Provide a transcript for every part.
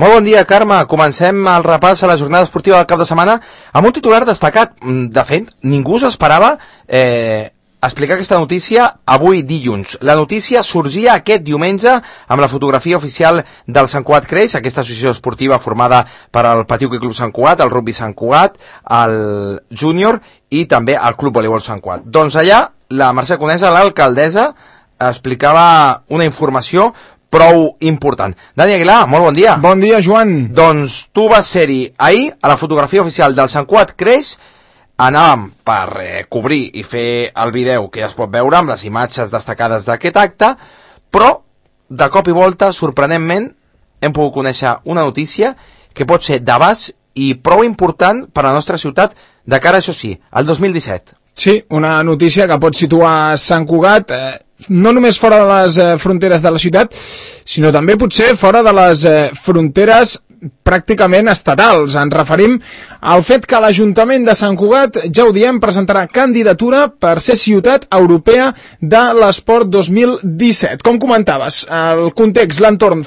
Molt bon dia, Carme. Comencem el repàs a la jornada esportiva del cap de setmana amb un titular destacat. De fet, ningú s'esperava explicar aquesta notícia avui dilluns. La notícia sorgia aquest diumenge amb la fotografia oficial del Sant Cugat Creix, aquesta associació esportiva formada per el Petit Hoquei Club Sant Cugat, el Rugby Sant Cugat, el Júnior i també el Club Voleibol Sant Cugat. Doncs allà, la Mercè Conesa, l'alcaldessa, explicava una informació prou important. Dani Aguilar, molt bon dia. Bon dia, Joan. Doncs tu vas ser-hi ahir a la fotografia oficial del Sant Cugat Creix. Anàvem per cobrir i fer el vídeo que ja es pot veure amb les imatges destacades d'aquest acte, però de cop i volta, sorprenentment, hem pogut conèixer una notícia que pot ser d'abast i prou important per a la nostra ciutat de cara, això sí, al 2017. Sí, una notícia que pot situar Sant Cugat no només fora de les fronteres de la ciutat, sinó també potser fora de les fronteres pràcticament estatals. Ens referim al fet que l'Ajuntament de Sant Cugat, ja ho diem, presentarà candidatura per ser ciutat europea de l'esport 2017. Com comentaves, el context, l'entorn,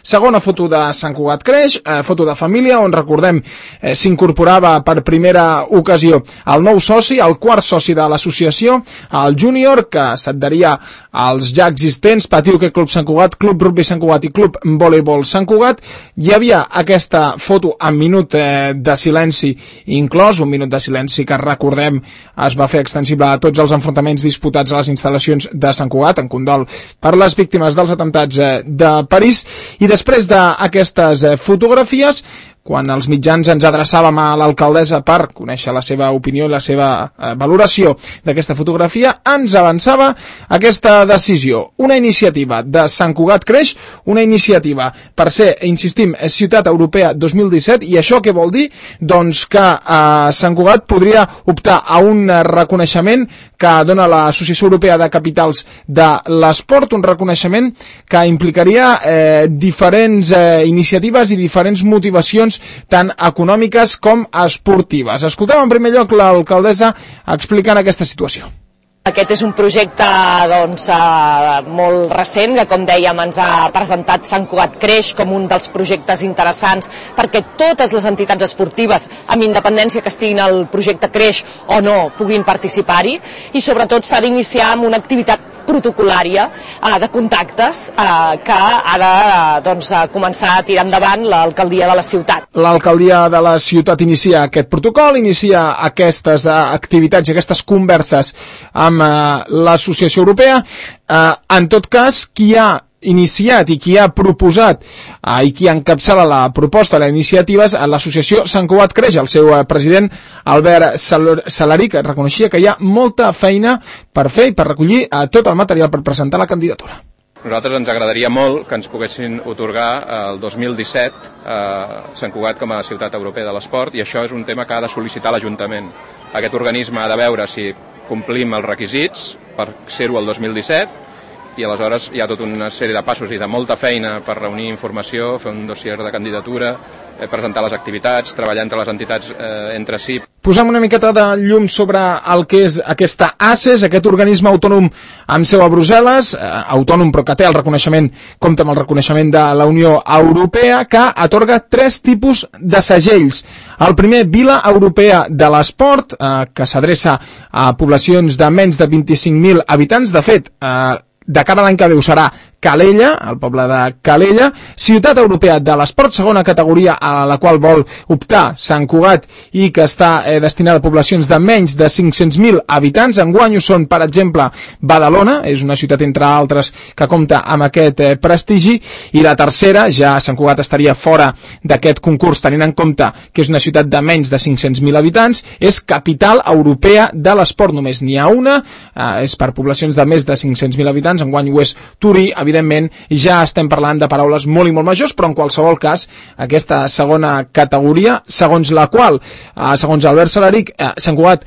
segona foto de Sant Cugat Creix, foto de família, on recordem s'incorporava per primera ocasió el nou soci, el quart soci de l'associació, el Júnior, que s'adheria als ja existents Petit Hoquei Club Sant Cugat, Club Rugby Sant Cugat i Club Voleibol Sant Cugat. Hi havia aquesta foto amb minut de silenci inclòs, un minut de silenci que recordem es va fer extensible a tots els enfrontaments disputats a les instal·lacions de Sant Cugat, en condol per les víctimes dels atemptats de París. I després d'aquestes fotografies, quan els mitjans ens adreçàvem a l'alcaldessa per conèixer la seva opinió i la seva valoració d'aquesta fotografia, ens avançava aquesta decisió. Una iniciativa de Sant Cugat Creix, una iniciativa per ser, insistim, ciutat europea 2017, i això què vol dir? Doncs que Sant Cugat podria optar a un reconeixement que dona l'Associació Europea de Capitals de l'Esport, un reconeixement que implicaria diferents iniciatives i diferents motivacions tant econòmiques com esportives. Escoltem en primer lloc l'alcaldessa explicant aquesta situació. Aquest és un projecte molt recent, que com dèiem ens ha presentat Sant Cugat Creix com un dels projectes interessants perquè totes les entitats esportives, amb independència que estiguin al projecte Creix o no, puguin participar-hi, i sobretot s'ha d'iniciar amb una activitat protocolària de contactes que ha de començar a tirar endavant l'alcaldia de la ciutat. L'alcaldia de la ciutat inicia aquest protocol, inicia aquestes activitats i aquestes converses amb l'Associació Europea. En tot cas, qui ha iniciat i qui ha proposat i qui encapçala la proposta de la iniciativa és l'Associació Sant Cugat Creix. El seu president, Albert Salaric, reconeixia que hi ha molta feina per fer i per recollir tot el material per presentar la candidatura. Nosaltres ens agradaria molt que ens poguessin otorgar el 2017 Sant Cugat com a ciutat europea de l'esport, i això és un tema que ha de sol·licitar l'Ajuntament. Aquest organisme ha de veure si complim els requisits per ser-ho el 2017, i aleshores hi ha tota una sèrie de passos i de molta feina per reunir informació, fer un dossier de candidatura, presentar les activitats, treballar entre les entitats entre si. Posem una miqueta de llum sobre el que és aquesta ACES, aquest organisme autònom amb seu a Brussel·les, autònom però que té el reconeixement, compta amb el reconeixement de la Unió Europea, que atorga 3 tipus de segells. El primer, Vila Europea de l'Esport, que s'adreça a poblacions de menys de 25.000 habitants. De fet, de cara a l'any que ve ho serà Calella, el poble de Calella. Ciutat Europea de l'Esport, segona categoria a la qual vol optar Sant Cugat i que està destinada a poblacions de menys de 500.000 habitants. Enguany ho són, per exemple, Badalona, és una ciutat entre altres que compta amb aquest prestigi, i la tercera, ja Sant Cugat estaria fora d'aquest concurs tenint en compte que és una ciutat de menys de 500.000 habitants, és Capital Europea de l'Esport. Només n'hi ha una, és per poblacions de més de 500.000 habitants, enguany ho és Turí. Evidentment, ja estem parlant de paraules molt i molt majors, però en qualsevol cas, aquesta segona categoria, segons la qual, segons Albert Salaric, Sant Cugat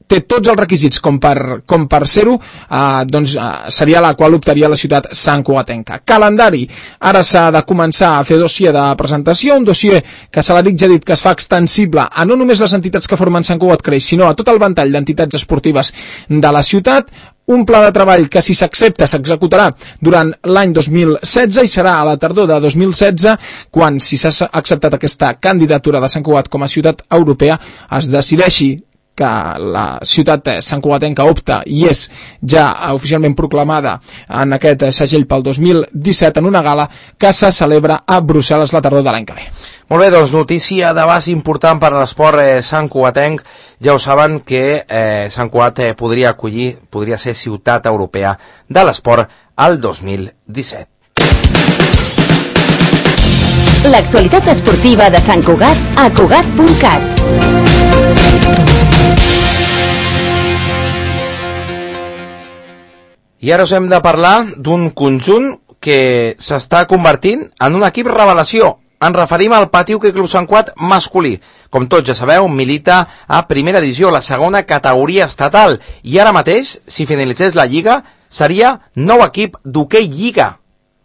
té tots els requisits com per ser-ho, seria la qual optaria la ciutat santcugatenca. Calendari. Ara s'ha de començar a fer dossier de presentació, un dossier que Salaric ja ha dit que es fa extensible a no només les entitats que formen Sant Cugat Creix, sinó a tot el ventall d'entitats esportives de la ciutat. un pla de treball que, si s'accepta, s'executarà durant l'any 2016 i serà a la tardor de 2016 quan, si s'ha acceptat aquesta candidatura de Sant Cugat com a ciutat europea, es decideixi que la ciutat santcugatenca opta i és ja oficialment proclamada en aquest segell pel 2017 en una gala que se celebra a Brussel·les la tardor de l'any que ve. Molt bé, doncs notícia d'abast important per a l'esport santcugatenc. Ja ho saben que Sant Cugat podria ser ciutat europea de l'esport al 2017. L'actualitat esportiva de Sant Cugat a Cugat.cat. I ara us hem de parlar d'un conjunt que s'està convertint en un equip revelació. Ens referim al Patí Hoquei Club Sant Cugat masculí. Com tots ja sabeu, milita a primera divisió, la segona categoria estatal. I ara mateix, si finalitzés la Lliga, seria nou equip d'hoquei Lliga.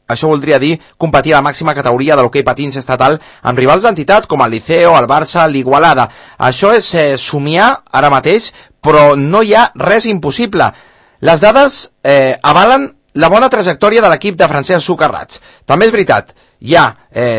Això voldria dir competir a la màxima categoria de l'hoquei patins estatal amb rivals d'entitat com el Liceo, el Barça, l'Igualada. Això és somiar ara mateix, però no hi ha res impossible. Les dades avalen la bona trajectòria de l'equip de Francesc Socarrats. També és veritat, hi ha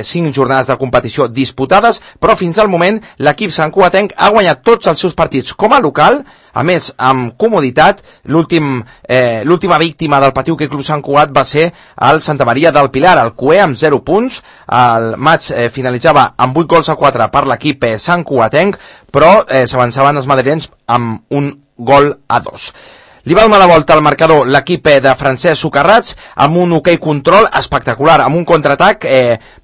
5 jornades de competició disputades, però fins al moment l'equip santcugatenc ha guanyat tots els seus partits com a local, a més amb comoditat. L'última víctima del Patí Hoquei Club Sant Cugat va ser el Santa Maria del Pilar, el Cué, amb 0 punts. El maig finalitzava amb 8 gols a 4 per l'equip santcugatenc, però s'avançaven els madrilenys amb un gol a 2. Li va donar la volta al marcador l'equip de Francesc Socarrats amb un hoquei control espectacular, amb un contraatac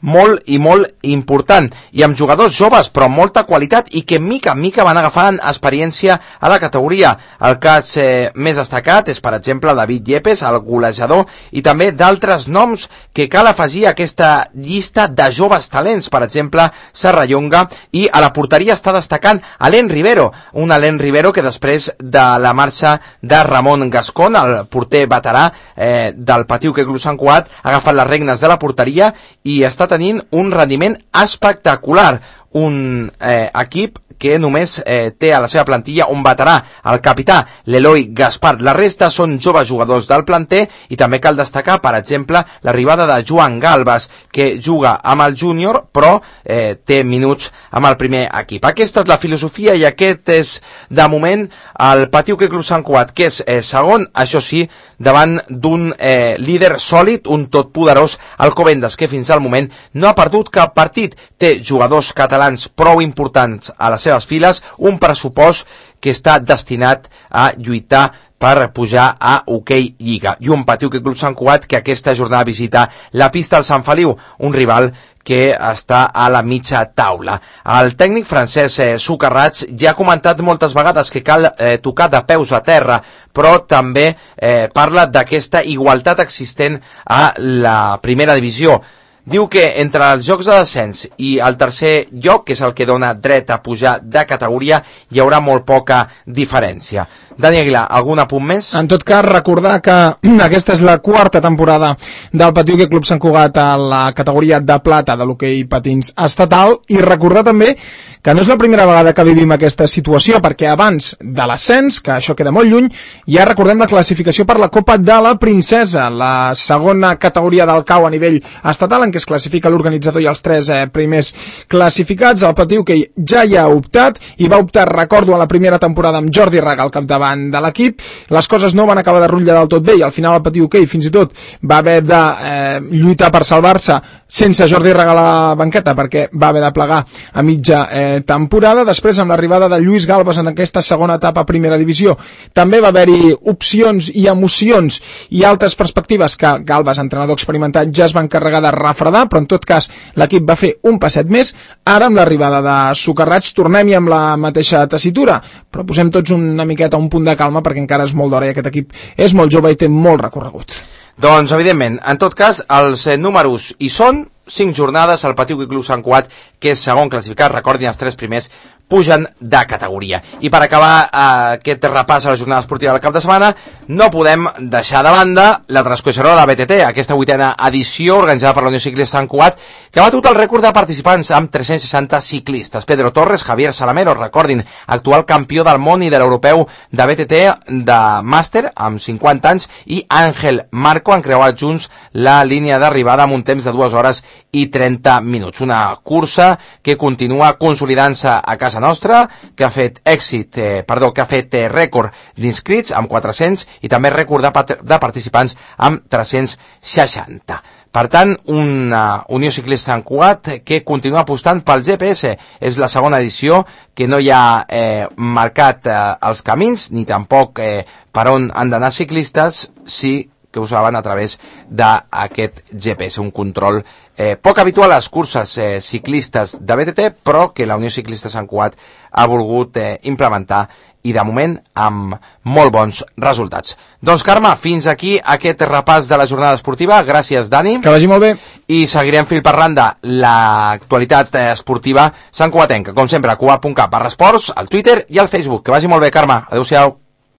molt i molt important i amb jugadors joves però amb molta qualitat i que mica en mica van agafant experiència a la categoria. El cas més destacat és, per exemple, David Yepes, el golejador, i també d'altres noms que cal afegir a aquesta llista de joves talents, per exemple, Serrallonga, i a la porteria està destacant Alain Rivero, un Alain Rivero que després de la marxa de Ramon Gascón, el porter veterà del Patí Hoquei Club Sant Cugat, ha agafat les regnes de la porteria i està tenint un rendiment espectacular. Un equip que només té a la seva plantilla un veterà, el capità l'Eloi Gaspar. La resta són joves jugadors del planter i també cal destacar, per exemple, l'arribada de Joan Galbas, que juga amb el júnior però té minuts amb el primer equip. Aquesta és la filosofia i aquest és, de moment, el Patí Hoquei Club Sant Cugat, que és segon, això sí, davant d'un líder sòlid, un totpoderós Alcobendas, que fins al moment no ha perdut cap partit. Té jugadors catalans prou importants a les seves files, un pressupost que està destinat a lluitar per pujar a Hoquei Lliga. I un Patí Hoquei Club Sant Cugat que aquesta jornada visita la pista del Sant Feliu, un rival que està a la mitja taula. El tècnic Francesc Socarrats ja ha comentat moltes vegades que cal tocar de peus a terra, però també parla d'aquesta igualtat existent a la primera divisió. Diu que entre els jocs de descens i el tercer lloc, que és el que dona dret a pujar de categoria, hi haurà molt poca diferència. Dani Aguilar, algun apunt més? En tot cas, recordar que aquesta és la quarta temporada del Patí Hoquei Club Sant Cugat a la categoria de plata de l'hoquei patins estatal, i recordar també que no és la primera vegada que vivim aquesta situació, perquè abans de l'ascens, que això queda molt lluny, ja recordem la classificació per la Copa de la Princesa, la segona categoria del CAU a nivell estatal, en què es classifica l'organitzador i els 3 primers classificats. El Patí Hoquei ja hi ha optat, i va optar, recordo, a la primera temporada amb Jordi Raga al capdavant de l'equip. Les coses no van acabar de rutllar del tot bé i al final el Patí Hoquei fins i tot va haver de lluitar per salvar-se sense Jordi Raga a la banqueta, perquè va haver de plegar a mitja temporada. Després, amb l'arribada de Lluís Galbas en aquesta segona etapa a primera divisió, també va haver-hi opcions i emocions i altres perspectives que Galbas, entrenador experimentat, ja es va encarregar de refredar, però en tot cas l'equip va fer un passet més. Ara, amb l'arribada de Socarrats, tornem-hi amb la mateixa tessitura, però posem tots una miqueta un punt de calma perquè encara és molt d'hora i aquest equip és molt jove i té molt recorregut. Doncs, evidentment, en tot cas, els números hi són. 5 jornades, el Patí Hoquei Club Sant Cugat, que és segon classificat, recordin, els 3 primers pugen de categoria. I per acabar aquest repàs a la jornada esportiva del cap de setmana, no podem deixar de banda la transcorreguda de la BTT, aquesta 8a edició organitzada per la Unió Ciclista Sant Cugat, que ha batut el rècord de participants amb 360 ciclistes. Pedro Torres, Javier Salamero, recordin, actual campió del món i de l'europeu de BTT de màster amb 50 anys, i Àngel Marco han creuat junts la línia d'arribada amb un temps de 2 hores i 30 minuts. Una cursa que continua consolidant-se a casa nostra, que ha fet rècord d'inscrits amb 400 i també rècord de participants amb 360. Per tant, una Unió Ciclista Sant Cugat que continua apostant pel GPS. És la segona edició que no hi ha marcat els camins, ni tampoc per on han d'anar ciclistes, sí que ho saben a través d'aquest GPS, un control poc habitual a les curses ciclistes de BTT, però que la Unió Ciclista Sant Cugat ha volgut implementar, i de moment amb molt bons resultats. Doncs Carme, fins aquí aquest repàs de la jornada esportiva. Gràcies, Dani. Que vagi molt bé. I seguirem fil per randa l'actualitat esportiva santcugatenca, com sempre, a cugat.cat/esports, al Twitter i al Facebook. Que vagi molt bé, Carme. Adéu-siau.